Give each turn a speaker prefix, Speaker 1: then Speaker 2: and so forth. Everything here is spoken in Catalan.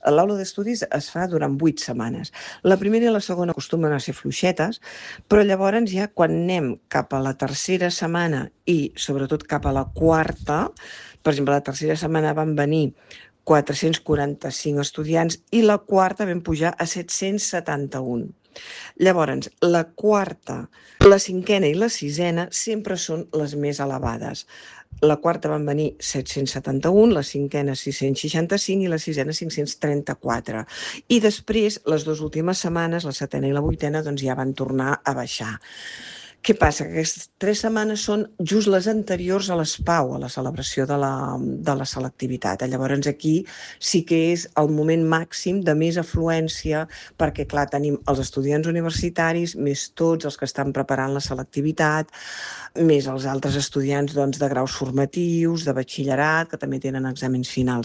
Speaker 1: L'aula d'estudis es fa durant 8 setmanes. La primera i la segona acostumen a ser fluixetes, però llavors ja quan anem cap a la tercera setmana i sobretot cap a la quarta, per exemple, la tercera setmana van venir 445 estudiants i la quarta vam pujar a 771. Llavors, la quarta, la cinquena i la sisena sempre són les més elevades. La quarta van venir 771, la cinquena 665 i la sisena 534. I després, les dues últimes setmanes, la setena i la vuitena, doncs ja van tornar a baixar. Què passa? Que aquestes 3 setmanes són just les anteriors a l'ESPAU, a la celebració de la selectivitat. Llavors aquí sí que és el moment màxim de més afluència perquè, clar, tenim els estudiants universitaris, més tots els que estan preparant la selectivitat, més els altres estudiants doncs, de graus formatius, de batxillerat, que també tenen exàmens finals.